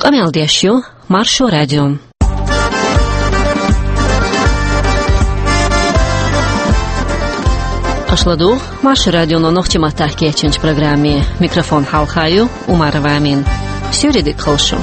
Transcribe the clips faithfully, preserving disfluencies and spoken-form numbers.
Къамел деш ю Маршо радио. Аша ладугӀу Маршо радионо нохчийн маттахь кечйинчу программе. Микрофон хьалха ю Умарова Амина. Суьйре дика хуьлда шу.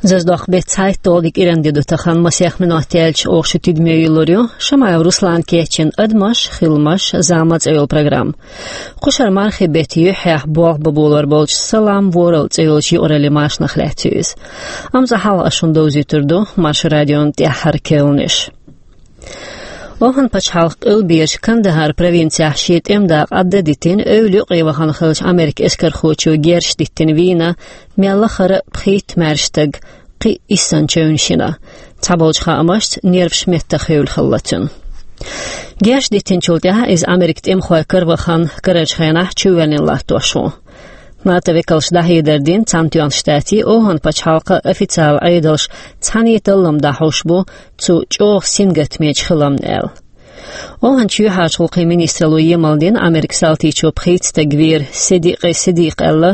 Зазадоккху беттан цхьайтталгӀа де кӀиранди ду тахана, масех минот яьлча оха шу тидаме йиллур ю Шамаев Руслана кечйина «Адамаш, хиламаш, зама» цӀе йолу программа. Кху шарахь мархин беттан юьххьехь болх бан болор болчу «Салам Ворлд» цӀе йолчу юкъараллин машанах лаьцна ю иза. Амма цкъа хьалха ас шуна довзуьйтур ду Маршо радион тӀаьххьара керланаш. Охан пачхьалкхан къилбераш Кандагар провинцехь шен тӀеман дакъа Ӏадда а дитина, эвла юкъе вахана хиллачу Америкин эскархочо герзаш диттина вийна мел лахара пхийтта маьрша стаг кхин а иссанна чевнаш йина. Цхьаболчу хаамашца, нерваш меттах хевлла хилла цуьнан. Герзаш диттинчул тӀаьхьа иза Америкин тӀемахой каравахана, карарчу хенахь чувоьллина латтош ву. НАТО векалша дӀахьедар дина Цхьаьнатоьхначу Штатийн, Охан пачхьалкхан официалан Ӏедалша цхьаьна таллам дӀахьуш бу цу чӀогӀа сингаттамечу хиламна аьлла. Оханчу юьхьӀаьржачу гӀуллакхийн министралло емалдина Америкин салтичо пхийтта стаг вийр Сидикъи Сидикъа аьлла,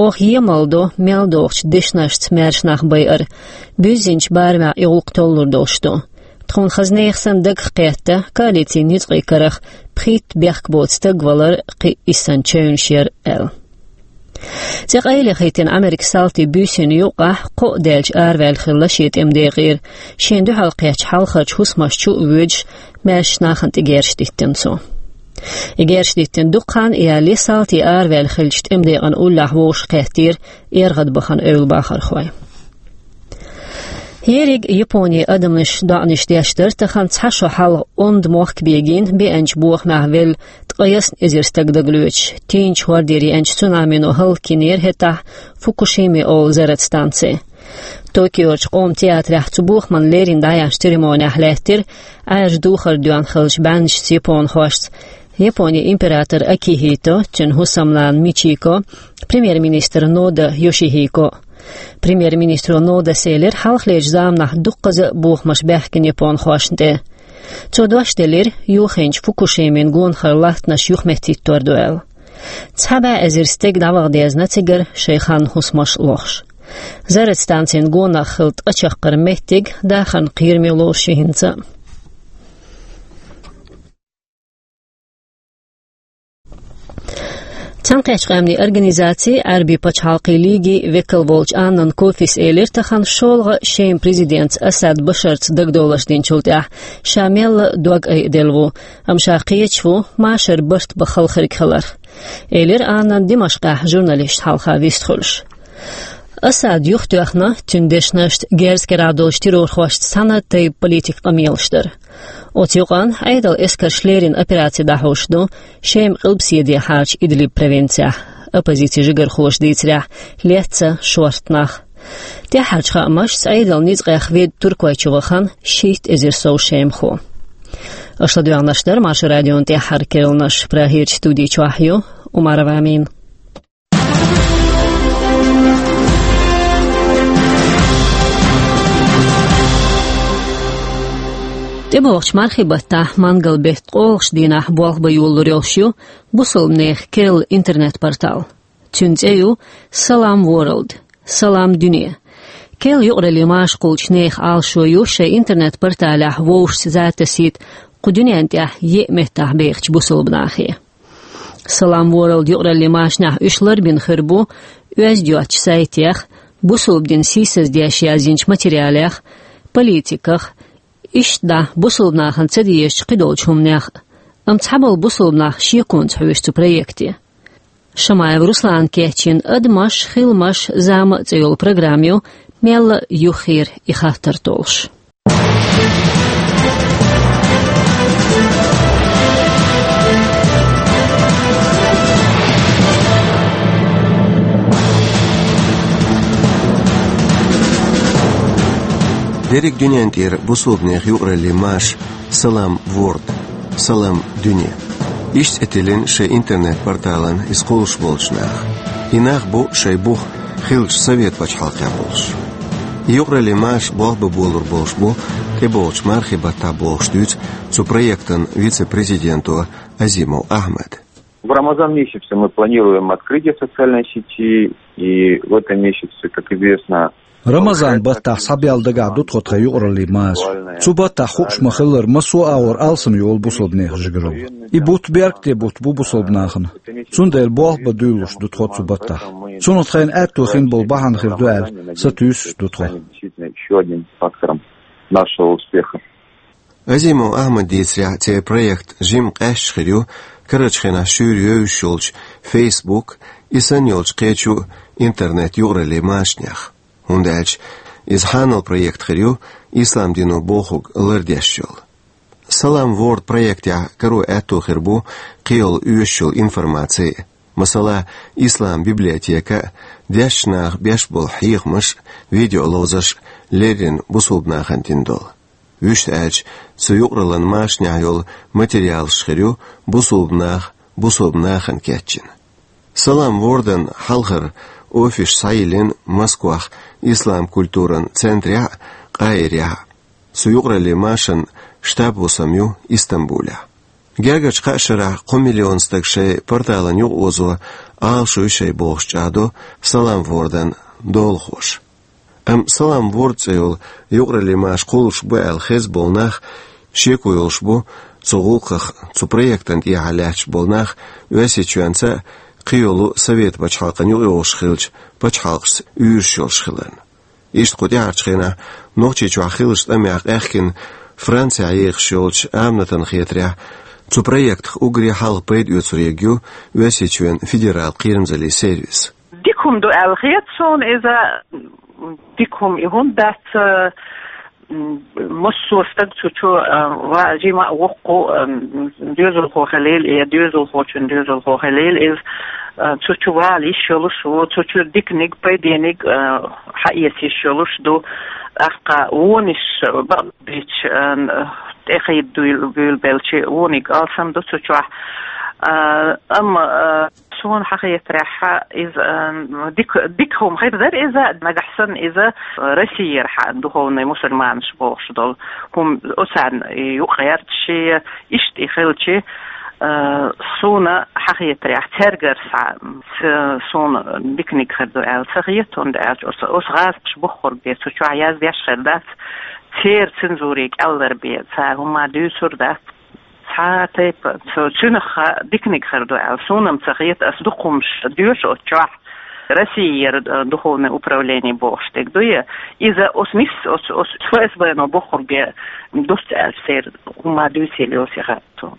оха емалдо мел догӀучу дешнашца маьрша нах байар, буьззинчу барамехь и гӀуллакх толлур долуш ду. Тхуна хаза нехан санна дагах кхетта, коалицин ницкъийн карах пхийтта бехк боцу стаг валар кхин а иссанна чевнаш яр аьлла. ЦӀе къайле хӀиттина Америкин салтийн буьйсанна юккъехь кхоъ даьлча араваьлла хилла шен тӀеман декъера, шена дуьхьал кхеттачу хьалхарчу хӀусамаш чу а воьдуш, маьршачу нахана тӀе герзаш диттина цо. И герзаш диттина дукха хан а ялале, салтий араваьлла хиллачу тӀеман декъан уллехь вовшах кхеттера эргӀадбахана эвла бахархой. Ерриг Японин адамаш доӀанаш деш дара тахана цхьа шо хьалха онда мохк бегийна, беанчу бохамехь велла ткъе ялх эзар стаг дагалоьцуш, тийначу хӀордера еанчу цунамино хӀаллакйинера хӀетахь Фукушима олу заррат станци. Токиорчу къоман театрехь цу бохамна леррина дӀаяьхьначу церемонехь лаьттира Ӏаьржа духар доьхна хиллачу бӀаьннашца японхошца Японин император Акихито, цуьнан хӀусамнана Мичико, премьер-министр Нода Йошихико. Премьер-министро Нодас элира, хьалхалерчу заманахь дуккхаза а бохамаш баьхкина японхошна тӀе. Цо дош делира, юххенчу Фукушимин гонахара латтанаш юхаметтахӀиттор ду аьлла. Цхьа бӀе эзар стеган дӀаваха дезна цигара шайн ханна хӀусамаш лохуш. Заррат станцин гонах хилла ткъа чаккхарма меттиг дахарна кхераме лоруш ю хӀинца а. Цхьаьнакхеттачу Къаьмнийн Организацин, Ӏаьрбийн пачхьалкхийн лигин векал волчу Аннан Кофис элира тахана, шолгӀа Шеман президентца Асад Башарца дагадовларш динчул тӀаьхьа ша мелла а дог айаделла ву, амма ша кхеташ ву машар барт бан халхарг хиларх, элира Аннан Димашкъехь журналисташна хьалха вистхуьлуш. Асад юхатоьхна, цуьнан дешнашца герз карахь долчу террорхошца цхьана тайпа политикан къамелаш дар. Оцу юкъана Ӏедалан эскарша леррина операци дӀахьуш ду Шеман къилбаседехьарчу Идлиб провинцехь, оппозицин жигархоша дийцарехь, лецна шортта нах. ТӀаьххьарчу хаамашца, Ӏедалан ницкъех ведда Туркойчу вахана шийтта эзар сов шемахо. Аша ладоьгӀнарш дара Маршо радион тӀаьххьара керланаш, Прагерчу студи чохь ю Умарова Амина. ТӀебогӀучу мархин баттахь, мангал беттан ткъолгӀачу дийнахь болх бан йолалур йолуш ю бусалба нехан керла интернет-портал. Цуьнан цӀе ю Салам Ворлд, Салам Дуьне. Керла юкъараллин маша кхуллучу нехан Ӏалашо ю шайн интернет-порталехь вовшашца за тасийта кху дуьнен тӀехь еа меттахь бехачу бусалба нахе. Салам Ворлд юкъараллин машанехь уьш ларбина хир бу оьзда йоцчу сайтех, бусалба дин сийсаздеш язйинчу материалех, политиках, иштта дӀа бусалба нахана ца дезачу кхидолчу хӀуманех а. Амма цхьаболу бусалба нах шеконца хьоьжу цу проекте. Шамаев Руслана кечйина «Адамаш, хиламаш, зама» цӀе йолу программа ю мелла а юххера и хаттар толлуш. Дерриг дуьнен тӀера бусалба нехан юкъараллин маша Салам Ворлд, Салам Дуьне. Иштта цӀе тиллина шайн интернет-порталан иза кхуллуш болчу наха. И нах бу шайн бух хиллачу Совет пачхьалкхехь болуш. Юкъараллин маша болх бан болалуш болуш бу тӀебогӀучу мархийн баттахь бохуш дуьйцу цу проектан вице-президенто Азимов Ахьмада. В Рамазан месяце мы планируем открытие социальной сети, и в этом месяце, как известно, Рамазан баттахь схьабелла дагахь ду тхо тхан юкъараллин маша. Цу баттахь хууш ма-хиллара, массо а агӀор алсам йолу бусалба нехан жигаралла. И бутт беркате бутт бу бусалба нахана. Цундела болх бан дуьйлалуш ду тхо цу баттахь. Цунах тхайна аьтто хин болу бахьана хир ду аьлла, сатуьйсуш ду тхо. Действительно, ещё одним фактором нашего успеха. Азимов Ахьмада дийцарехь, церан проект жимма къаьсташ хир ю карарчу хенахь шуьйра йовзуш йолчу Facebook, и санна йолчу кхечу интернет-юкъараллин машанех. ХӀунда аьлча иза хьанал проект хир ю ислам дино бохург лардеш йолу. Салам Ворлд проектехь каро аьтто хир бу кхин йолу оьшуш йолу информаци, масала, ислам библиотека, дешначу наха беш болу хьехамаш, видеоловзарш, леррина бусалба нахана дина долу. Вуьшта аьлча, цу юкъараллин машанехь йолу материалаш хир ю бусалба нах бусалба нахана кечйина. Салам Ворлдан хьалхара офисаш схьайиллина Москвахь ислам культуран центрехь а, Къаирехь а. Цу юкъараллин машан штаб хӀусам ю Истамбулехь. Гергарчу кхаа шарахь кхо миллион стаг шайн порталан юкъаозо Ӏалашо ю шайн бохуш чӀагӀдо Салам Ворлдан долахоша. Амма Салам Ворлд цӀе йолу юкъараллин маша кхуллуш бу аьлла хезна болу нах шеко йолуш бу цу гӀуллакхах, цу проектан тӀехьа лаьтташ болу нах Оьрсийчоьнца а, кхин йолу Совет пачхьалкхан юкъайогӀуш хиллачу пачхьалкхашца уьйраш йолуш хиларна. Иштта кху тӀаьхьарчу хенахь Нохчийчохь хиллачу тӀамехь къаьхкина Францехь ехаш йолчу Аминатан хетарехь, цу проектах уггаре хьалха пайда оьцур ерг ю Оьрсийчоьнан федералан кхерамзаллин сервис. Дика хӀума ду аьлла хета суна иза, дика хӀума и хӀунда дац, м, массо а стаг цу чу, а, ва-, жима а воккху, а, м, доьзалхо хилийла, я доьзалхочун доьзалхо хилийла иза, а, цу чу вала йиш йолуш ву, цу чу диканиг, пайдениг, а, хьаэца йиш йолуш ду, тӀаккха вонаш бакъдерг, а, тӀе хьийда дуьйла-, буьйлабелча вониг алсам ду цу чохь. А, амма, а, Суна хьан хетарехь, иза, м, дика, дика хӀума хир дара иза, нагахь санна иза Россияра хьан духовный мусульманаш бохуш долу хӀума, оцарна юкъа гӀерташ, иштта и хилча, а, суна хьан хетарехь, цаьргара схьа, ц-, суна диканиг хир ду аьлла ца хета, хӀунда аьлча оцу, оцу гӀазкхаша бохург бен цу чохь яздеш хир дац, церан цензуре кӀеллар бен цара хӀума дуьйцур дац. Цхьа а тайпа, цу-, цуьнах диканиг хир ду аьлла, суна-м ца хета, ас дукха хӀумаш доьшу оцу чохь, Россияра, э, духовное управление бохуш дерг дуй, иза оцу нисса, оцу, оцу ФСБ-но бохург бен дуьсу аьлла, церан хӀума дуьйцийла йоцу яхара суна.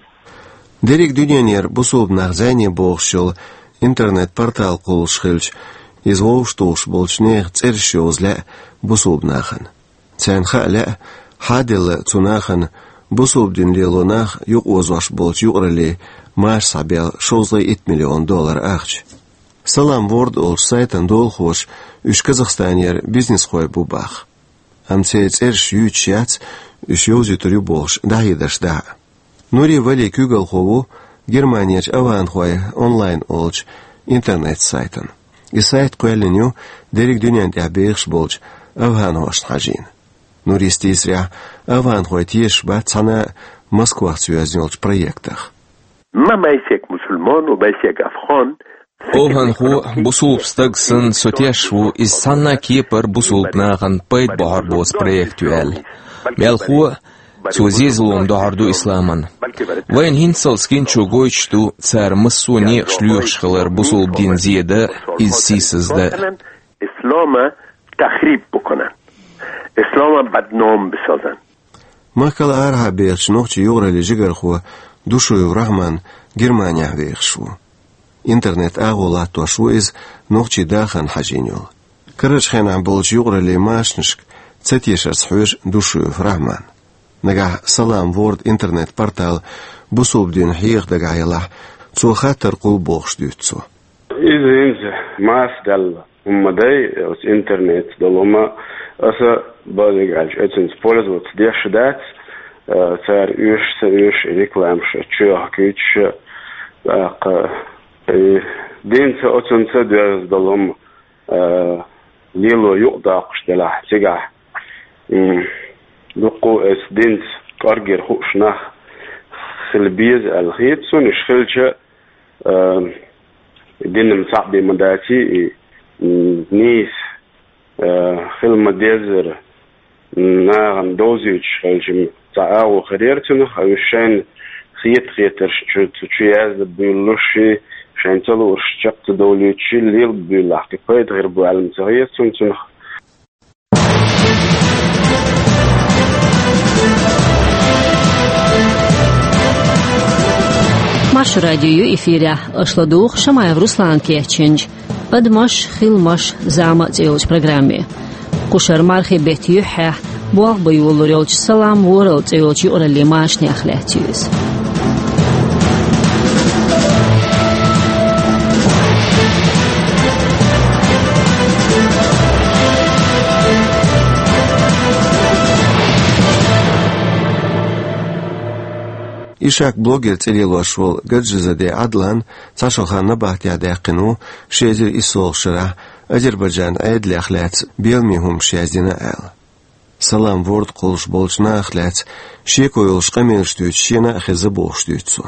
Дерриг дуьненера бусулба нах зӀене бохуш йолу интернет-портал кхуллуш хилча, иза вовшахтухуш болчу нехан цӀераш йовза лаьа бусулба нахана. Царна хаа лаьа, хьаделла цу нахана бусулба дин лело нах юкъаозош болчу юкъараллин маша схьабелла шовзткъе итт миллион доллар ахча. Салам Ворлд олучу сайтан долахоша уьш Казахстанера бизнесхой бу боху. Амма церан цӀераш юьйцуш яц, уьш йовзуьйтур ю бохуш дӀахьедарш дахьа. Нури Вали куьйгалхо ву Германерчу «Афганхой онлайн» олучу интернет-сайтан. И сайт кхоьллина ю дерриг дуьнен тӀехь бехаш болчу афганхошна хьажийна. Нурис дийцарехь, афганхой тешаш бац цхьана а Москвахца йоьзна йолчу проектах. ما بأسك مسلمان و بأسك أفغان. Афганхо, бусулба стаг санна, со тешаш ву, иза цхьанна а кепара бусулба нахана пайда бохьур боцу проект ю аьлла. Мелхо а, цо зезалонна дохьур ду исламан. Вайна хӀинццалц гинчо гойтуш ду, цара массо а некъаш лоьхуш хилар бусулба дин зе дан, иза сийсаз дан. اسلام تخریب بکنن، اسلام بدنام بسازن. Махкал арахьа бехачу нохчийн юкъараллин жигархо Душуев Рахьман Германехь вехаш ву. Интернет агӀо латтош ву иза нохчийн дахарна хьажийна йолу. Карарчу хенахь болчу юкъараллин машанашка ца тешарца хьоьжу Душуев Рахьман. Нагахь Салам Ворлд интернет-портал бусулба дин хьеха дагахь ялахь, цо хаттар кхуллу бохуш дуьйцу цо. Иза хӀинца маса даьлла хӀума ма дай, оцу интернет долу хӀума, аса базиг аьлча, оцунца пользоваться деш дац, а, цара оьшуш а ца оьшуш, рекламаш чоьхьа куьйцуш а, тӀаккха, и, динца оцунца доьзна долу хӀума, а, Лело юкъадаккхаш делахь, цигахь, м, дуккха а эс динца кӀорггера хууш нах хила беза аьлла хета суна, уьш хилча, а, дин-м цхьаъ бен ма даций, и, м, нийса, а, хила ма деззара, нахана довзуьйтуш хилча-м цхьа агӀо хир яра цунах, а уьш шайна хета-хетарш чу, цу чу яздан буьйлалуш, шайна ца луурш чекх ца довлуьйтуш, лелаб буьйлалахь, кхин пайда хир бу аьлла-м ца хета суна цунах. Маршо радио ю эфирехь, аша ладугӀу Шамаев Руслана кечйинчу «Адамаш, хиламаш, зама» цӀе йолчу программе. Кху шарахь мархин беттан юьххьехь болх бан йолалур йолчу «Салам ворхӀ» цӀе йолчу юкъараллин машанех лаьцна ю иза. Ишак-блогер цӀе лелош волу Гаджизаде Ӏадлан цхьа шо хан набахтехь даьккхина ву, ши эзар иссолгӀачу шарахь Азербайджанан Ӏедалех лаьцна беламе хӀуманаш яздина аьлла. «Салам ворхӀ» кхуллуш болчу нахах лаьцна шеко йолуш къамелаш дуьйцуш шена а хезна бохуш дуьйцу цо.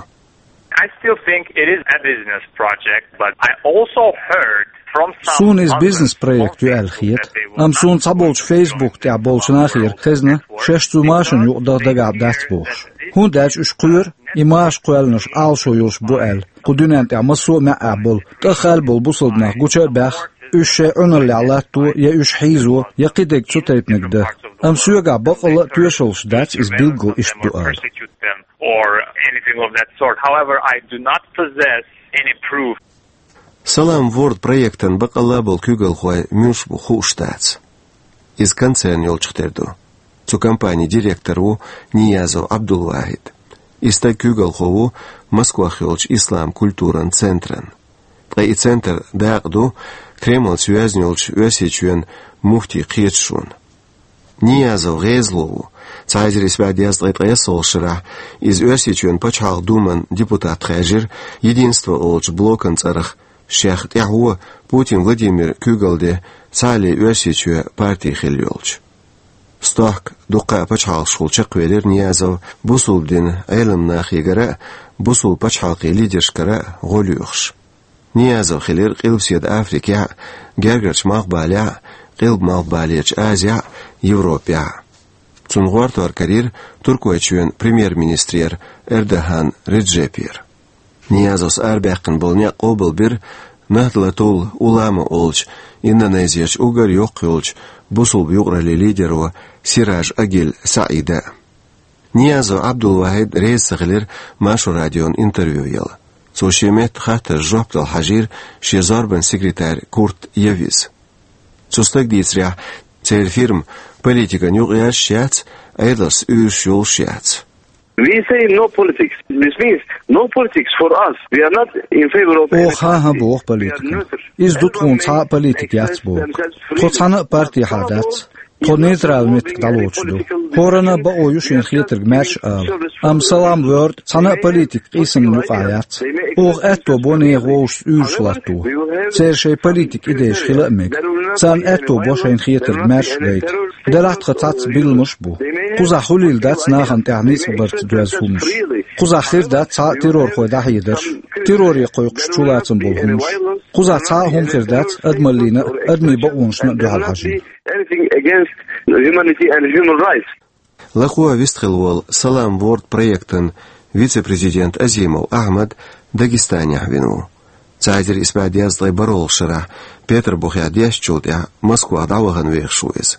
I still think it is a business project, but I also heard from some... Суна иза бизнес-проект ю аьлла хета, амма суна цхьаболчу Facebook тӀехь болчу нахера хезна, шаьш цу машанна юкъадаха дагахь дац бохуш. ХӀунда аьлча уьш кхоьру, и маша кхоьллинарш Ӏалашо йолуш бу аьлла, кху дуьнен тӀехь массо а маьӀӀехь болу, тӀаьххьара болу бусалба нах гуча а баьхна, уьш шайн Ӏуьналлехь латто я уьш хьийзо, я кхидерг цу тайпаниг дан. Амма соьгахь баккъалла а тоьшаллаш дац иза билггал иштта ду ала. Or anything of that sort. However, I do not possess any proof. «Салам ворхӀ» проектан баккъалла а болу куьйгалхой муьлш бу хууш дац. Иза концерн йолчух тера ду. Цу компанин директор ву Ниязов Ӏабдулвахьид. И стаг куьйгалхо ву Москвахь йолчу ислам культуран центран. Ткъа и центр дакъа ду Кремлца йоьзна йолчу Оьрсийчоьнан муфтийн кхеташонна. Ниязов гӀезало ву. Цхьа эзар исс бӀе дезткъе ткъайоьсналгӀачу шарахь иза Оьрсийчоьнан Пачхьалкхан Думан депутат хаьржира «Единство» олучу блокан цӀарах, шех тӀаьхьо Путин Владимир куьйгалла де цхьаалле Оьрсийчоь парти хилла йолчу. Стохка дуккха а пачхьалкхашкахула чекхвелира Ниязов бусулба динан Ӏеламнахегара а, бусулба пачхьалкхийн лидершкара а гӀо лоьхуш. Ниязов хилира Къилбаседа Африкехь а, Гергарчу Малхбалехь а, Къилба-Малхбалерчу Азехь а, Европехь а. Цунна гӀортор карийра Туркойчоьнан премьер-министрера Эрдоган Реджепера. Ниязовс арабаьккхина болу некъ къобалбира Нахдлатул Улама олучу Индонезерчу уггар йоккха йолчу бусулба юкъараллин лидеро Сираж Агиль Саида. Ниязов Ӏабдулвахьид реза ца хилира Маршо радиона интервью яла. Цо шен метта хаттаршна жоп дала хьажийра шен зорбанан секретарь Курт Явиз. Цу стага дийцарехь, церан фирма политикана юкъаерзаш яц, Ӏедалшца уьйраш йолуш яц. We say no politics. This means no politics for us. We are not in favor of... Оха хӀан боху политика. Иза ду тхуна, цхьа а политика яц боху. Тхо цхьана а партехьа дац. Тхо нейтрал меттиг дӀалоцуш ду. ХӀоранна а бакъо ю шена хетарг маьрша ала. Амма «Салам ворхӀ» цхьана а политикан къийсамна юкъахь яц. Оха аьтто бо нехан вовшашца уьйраш латто. Церан шайн политикан идейш хила а мега. Царна аьтто бо шайна хетарг маьрша гайта. Делахь тхан цхьацца билламаш а бу. Кхузахь хуьлийла дац нахана тӀехь ницкъ барца доьзна хӀуманаш. Кхузахь хир дац цхьа а террорхой дӀахьедарш, терроре кхойкхуш чулацам болу хӀуманаш. Кхузахь цхьа а хӀума хир дац адамаллина а, адамийн бакъонашна а дуьхьал хьажийна. Anything against humanity and human rights. Лакхо а вистхилла волу «Салам ворхӀ» проектан вице-президент Азимов Ахьмад Дагестанехь вина ву. Цхьа эзар исс бӀе дезткъе бархӀалгӀачу шарахь Петарбухехь дешначул тӀаьхьа Москвах дӀавахана вехаш ву иза.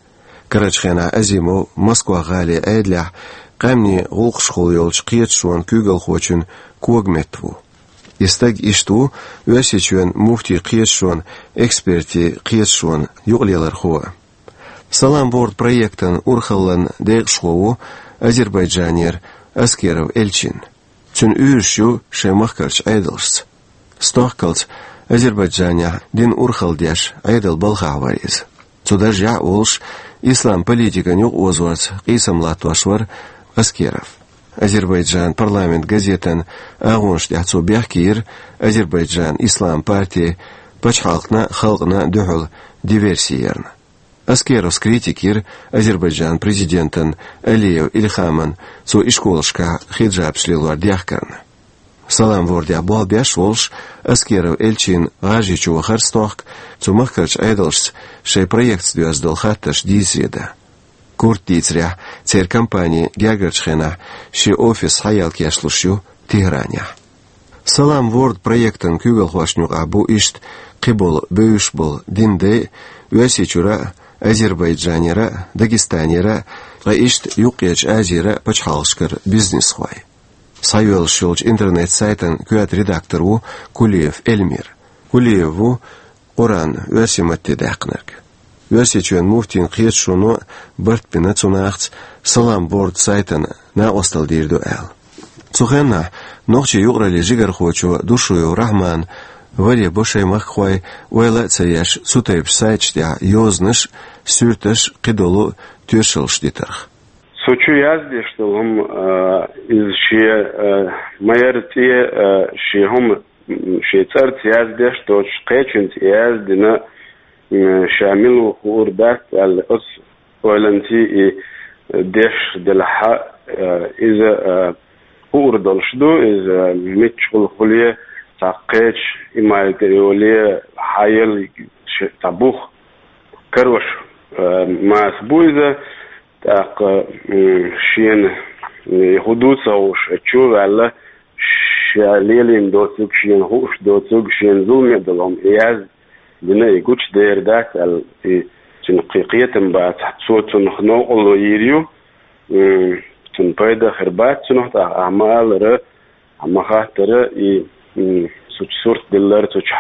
Карарчу хенахь Азимов Москва-гӀалин Ӏедалехь къаьмнийн гӀуллакхашкахула йолчу кхеташонан куьйгалхочун когаметта ву. И стаг иштта ву Оьрсийчоьнан муфтийн кхеташонан экспертийн кхеташонан юкъалелархо. «Салам ворхӀ» проектан урхаллин декъашхо ву Азербайджанера Аскеров Элчин. Цуьнан уьйраш ю шайн махкарчу Ӏедалшца. Стохкалц Азербайджанехь динан урхалла деш Ӏедалан балхахь вара иза. Цу даржехь а волуш, ислам политикан юкъаозорца къийсам латтош вара Аскеров. «Азербайджан парламент» газетан агӀонаш тӀехь цо бехке йира Азербайджанан ислам партин пачхьалкхана а, халкъана а дуьхьал диверси ярна. Аскеровс критика йира Азербайджанан президентан Алиев Ильхаман, цо ишколашкахь хиджабаш лелор дехкарна. Салам-Вордехь болх беш волуш, Аскеров Эльчин ГӀажарийчу вахар стохка, цу махкарчу Ӏедалшца шайн проектца доьзна долу хаттарш дийцаре дан. Куртан дийцарехь, церан компани гергарчу хенахь шен офис схьаелла кечлуш ю Тегьранехь. Салам-Ворд проектан куьйгалхошна юкъахь бу иштта кхиболу бевзаш болу динан дай а, Оьрсийчуьра а, Азербайджанера а, Дагестанера а, ткъа иштта Юккъерчу Азера а пачхьалкхашкара бизнесхой. Схьайоьллуш йолчу интернет-сайтан коьрта редактор ву Кулиев Эльмир. Кулиев ву Къуръан оьрсийн матте даьккхинарг. Оьрсийчоьнан муфтийн кхеташоно а барт бина цу нахаца Салам-Ворд сайтана накъосталла дийр ду аьлла. Цу хенахь нохчийн юкъараллин жигархочо Душуев Рахьмана варе бо шайн махкахой, ойла а ца еш, цу тайпа сайташ тӀехь йозанаш а, суьрташ а, кхидолу тоьшаллаш дитарх. Со чу яздеш долу хӀума, а, иза шен, а, ма-ярра цӀе, а, шен хӀума, м, шен цӀарца яздеш доцуш, кхечуьнца яздина, м, ша мила ву хуур дац аьлла, оцу ойланций и деш делахь, а, иза, а, хуур долуш ду, иза миччахула хуьлий, цхьа кхечу имайга йолий, хьан елла ш-, цхьа бух карош, а, маса бу иза. ТӀаккха, м, шена, м, хӀун ду ца хууш, чу а ваьлла, ша лелийна доцург, шена хууш доцург, шена зуламе а долу хӀума язбина, и гучудер дац аьлла, и цуьнан кхе-, кхетам бац. Цо цунах новкъарло йийр ю, м, цунна пайда а хир бац цунах, тӀаккха ахьа ма-аллара, ахьа ма-хаттара, и, м, цу чу сурт диллар, цу чу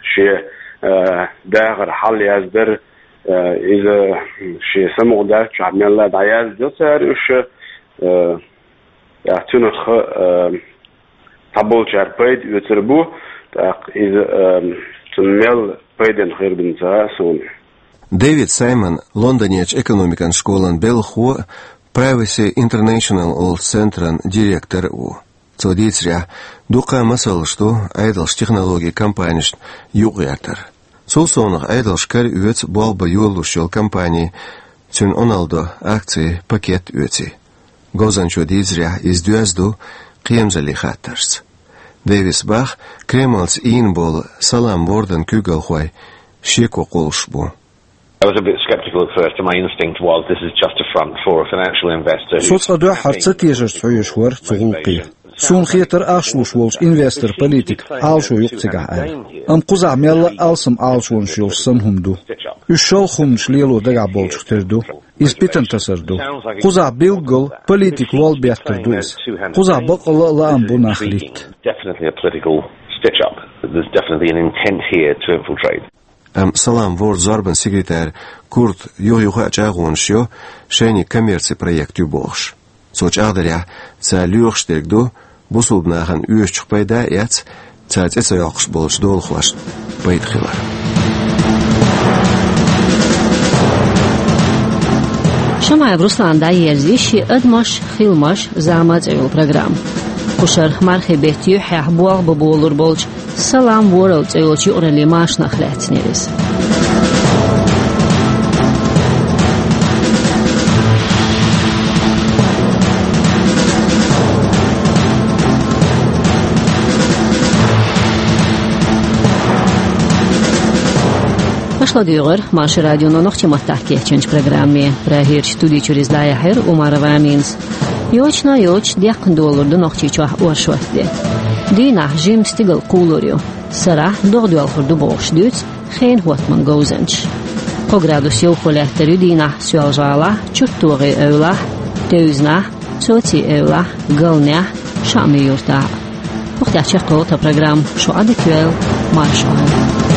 шен, а, дахар хьал яздар, а, иза, м, шен самукъадаьллачохь мелла а дӀаяздо цара уьш, а, тӀаккха цуьнах, а, цхьаболчара пайда оьцур бу, тӀаккха иза, а, цунна мел пайденна хир ду ца хаьа суна. Дэвид Саймон Лондонерчу экономикан школан белхахо а, Privacy International олучу центран директор а ву. Цо дийцарехь, дуккха а масалш ду Ӏедалша технологийн компанешна юкъагӀертар. Цул совнаха Ӏедалша кара оьцу болх бан йолалуш йолу компани, цуьнан Ӏуналла до акцийн пакет оьций. Говзанчо дийцарехь, иза доьзна ду кхерамзаллин хаттаршца. Дэвиса боху, Кремлца ийна болу Салам-Вордан куьйгалхой шеко кхуллуш бу. I was a bit skeptical at first, and my instinct was this is just a front for a financial investor who's... Со цкъа дуьххьара ца тешарца хьоьжуш вара цу гӀуллакхе. Суна хетара ахча луш волчу инвестор-политик Ӏалашо ю-кх цигахь аьлла. Амма кхузахь мелла а алсам Ӏалашонаш йолуш санна хӀума ду. Уьш шалха хӀуманаш лело дагахь болчух тера ду. Иза питана тасар ду. Кхузахь билггал политик лол беттар ду иза. Кхузахь баккъалла а лаам бу нах литта. Definitely a political stitch-up. There's definitely an intent here to infiltrate. Амма Салам-Вордан зорбанан секретарь Курта юха-юха а чӀагӀонаш йо, шайниг коммерцин проект ю бохуш. Цо чӀагӀдарехь, цара лоьхуш дерг ду, бусулба нахана оьшучух пайда а эцна, цара цӀе ца йоккхуш болчу долахошна пайда хилар. Шамаев Руслана дӀаерза ю шен «Адамаш, хиламаш, зама» цӀе йолу программа. Кху шарахь мархийн беттан юьххьехь болх бан болур болчу «Салам Ворлд» цӀе йолчу юкъараллин машанах лаьцна яра иза. Аша ладуьйгӀира Маршо радионо нохчийн маттахь кечйинчу программе. Прагерчу студи чуьра иза дӀаяьхьира Умарова Аминас. Йочана а йоцуш, деккхана долур ду Нохчийчохь оршот де. Дийнахь жимма стигала кхулур ю. Сарахь догӀа доьлхур ду бохуш дуьйцу хенан хӀоттаман говзанчаша. Кхо градус йовхо лаьттар ю дийнахь Соьлжа-ГӀалахь, ЧурттогӀийн эвлахь, Тевзанахь, Социйн эвлахь, Галнехь, Шаамийн юьртахь. ХӀокху тӀехь чекхйолу тхан программа. Шу Ӏадика йойла, марша Ӏойла.